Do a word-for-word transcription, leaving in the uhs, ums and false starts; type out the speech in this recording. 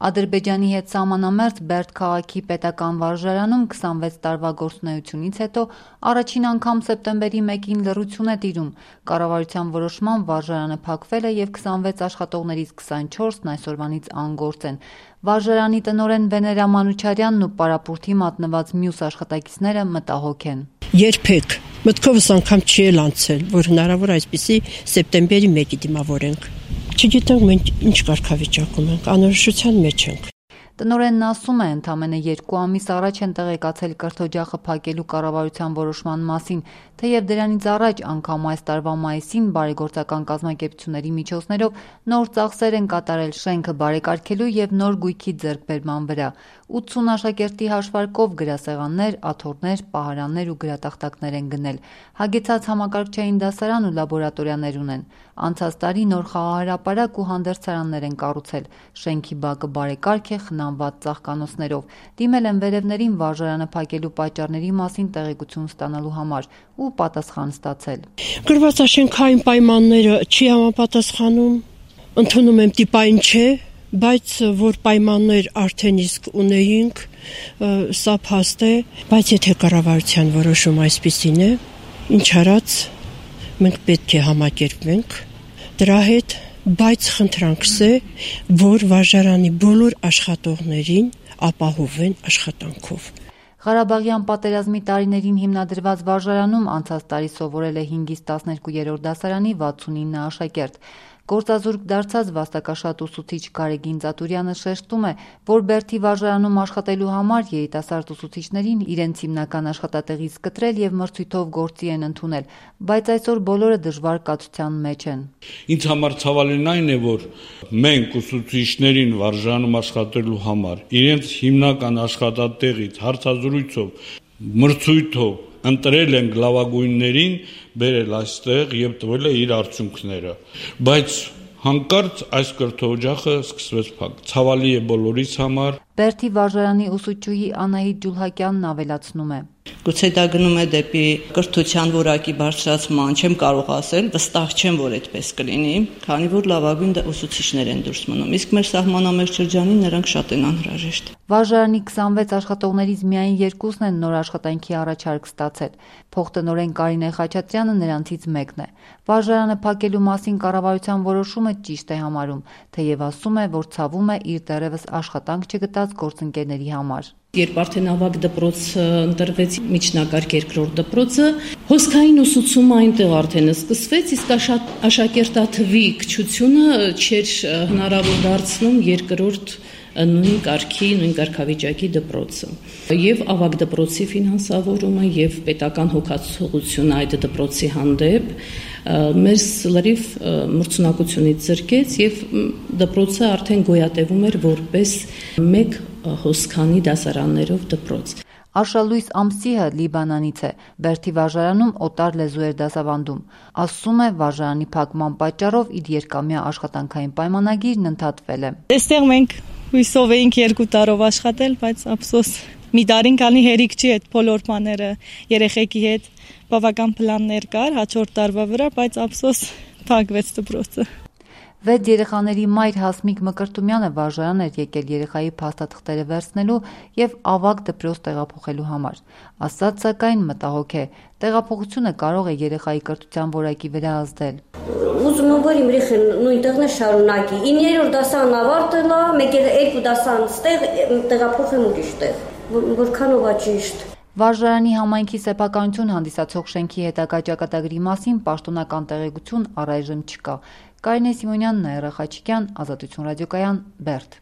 Ադրբեջանի հետ սահմանամերձ Բերդ քաղաքի պետական վարժարանում քսանվեց տարվա գործունեությունից հետո առաջին անգամ սեպտեմբերի մեկին լռություն է տիրում։ Կառավարության որոշմամբ վարժարանը փակվել է և քսանվեց աշխատողներից քսանչորսն այսօրվանից անգործ են։ Վարժարանի տնօրեն Վեներա Մանուչարյանն ու պարապուրդի մատնված մյուս աշխատակիցները մտահոգ են։ Երբեք մտքովս անգամ չի էլ անցել, որ հնարավոր այսպիսի սեպտեմբերի մեկի դիմավորենք։ Չգիտենք մենք ինչ կարգավիճակում ենք, անորոշության մեջ ենք։ Տնօրենն ասում է, ընդամենը երկու ամիս առաջ են տեղեկացել կրթօջախը փակելու կառավարության որոշման մասին, թեև դրանից առաջ անգամ այս տարվա մայիսին բարեգործական կազմակերպությունների միջոցներով նոր ծախսեր են կատարել շենքը բարեկարգելու և նոր գույքի ձեռքբերման վրա։ ութսուն աշակերտի հաշվարկով գրասեղաններ, աթոռներ, պահարաններ ու գրատախտակներ են գնել։ Հագեցած համակարգչային դասարան ու լաբորատորիաներ ունեն։ Անցած տարի նոր խաղահրապարակ ու հանդերձարաններ են կառուցել։ Շենքի բակը բարեկարգ է խնամված ծաղկանոցներով։ Դիմել են վերևներին վարժարանը փակելու պատճառների մասին տեղեկություն ստանալու համար ու պատասխան ստացել։ Գրվածաշենքային պայմանները չի համապատասխանում, ընդունում եմ տիպային չէ, բայց որ պայմաններ արդեն իսկ ունեինք, սա փաստ է, բայց եթե կառավարության որոշում այսպիսին է, ինչ արած, մենք պետք է համակերպվենք դրա հետ, բայց խնդրանքս է, որ վարժարանի բոլոր աշխատողներին ապահովեն աշխատանքով։ Ղարաբաղյան պատերազմի տարիներին հիմնադրված վարժարանում անցած տարի սովորել է հինգից տասներկուերորդ դասարանի վաթսունինը աշակերտ։ Գործազուրկ դարձած վաստակաշատ ուսուցիչ Գարեգին Ծատուրյանը շեշտում է, որ Բերդի վարժարանում աշխատելու համար երիտասարդ ուսուցիչներին իրենց հիմնական աշխատատեղից կտրել և մրցույթով գործի են ընդունել, բայց այսօր բոլորը դժվար կացության մեջ են։ Ինձ համար ցավալին այն է, որ մենք ուսուցիչներին վարժարանում աշխատելու համար իրենց հիմնական աշխատատեղից հարցազրույցով, մրցույթով ընտրել ենք լավագույններին, բերել այստեղ և տվել է իր արդյունքները, բայց հանկարծ այս կրթօջախը սկսվեց փակ։ Ցավալի է բոլորիս համար։ Բերդի վարժարանի ուսուցչուհի Անահիտ Ջուլհակյանն ավելացնում է. Գուցե դա գնում է դեպի կրթության որակի բարձրացման, չեմ կարող ասել, վստահ չեմ, որ այդպես կլինի, քանի որ լավագույն ուսուցիչներ են դուրս մնում, իսկ մեր սահմանամերձ շրջանին նրանք շատ են անհրաժեշտ։ Վարժարանի քսանվեց աշխատողներից միայն երկուսն են նոր աշխատանքի առաջարկ ստացել։ Փոխտնօրեն Կարինե Խաչատրյանը նրանցից մեկն է։ Վարժարանը փակելու մասին կառավարության որոշումը ճիշտ է համարում, թեև ասում է, որ ցավում է իր դեռևս աշխատանք չգտած գործընկերների համար։ Երբ արդեն ավագ դպրոցը ընտրվեց միջնակարգ երկրորդ դպրոցը, հոսքային ուսուցումը այնտեղ արդեն սկսվեց, իսկ աշակերտաթվի քչությունը չէր հնարավոր դարձնում երկրորդ նույն կարգի, նույն կարգավիճակի դպրոցը։ Եվ ավագ դպրոցի ֆինանսավորումը եւ պետական հոգացողությունը այդ դպրոցի հանդեպ մեր լրիվ մրցունակությունից զրկեց եւ դպրոցը արդեն գոյատևում էր որպես մեկ հոսքանի դասարաններով դպրոց։ Արշալույս Ամսիհը Լիբանանից է, Բերդի վարժարանում օտար լեզու էր դասավանդում։ Ասում է, վարժարանի փակման պատճառով իր երկամյա աշխատանքային պայմանագիրն ընդհատվել է։ Այստեղ մենք հույսով էինք երկու տարով աշխատել, բայց ափսոս մի տարին կանի հերիք չի այդ բոլոր բաները երեխեքի հետ բավական պլաններ կար հաջորդ տարվա վրա, բայց ափսոս փակվեց դպրոցը։ Վեց երեխաների մայր Հասմիկ Մկրտումյանը վարժարան էր եկել երեխայի փաստաթղթերը վերցնելու և ավագ դպրոց տեղափոխելու համար։ Ասած սակայն մտահոգ է, տեղափոխությունը կարող է երեխայի կրթության որակի վրա ազդել։ Ուզում եմ, որ իմ երեխան նույն տեղն է շարունակի։ իններորդ դասարան ավարտել է, մեկ էլ երկու դասարան ստեղ տեղափոխեմ ուրիշ տեղ, որքանով է ճիշտ։ Վարժարանի համայնքի սեփականություն հանդիսացող շենքի հետագա ճակատագրի մասին պաշտոնական տեղեկություն առայժմ չկա։ Կարինե Սիմոնյան, Նաիրա Խաչիկյան, Ազատություն ռադիոկայան, Բերդ։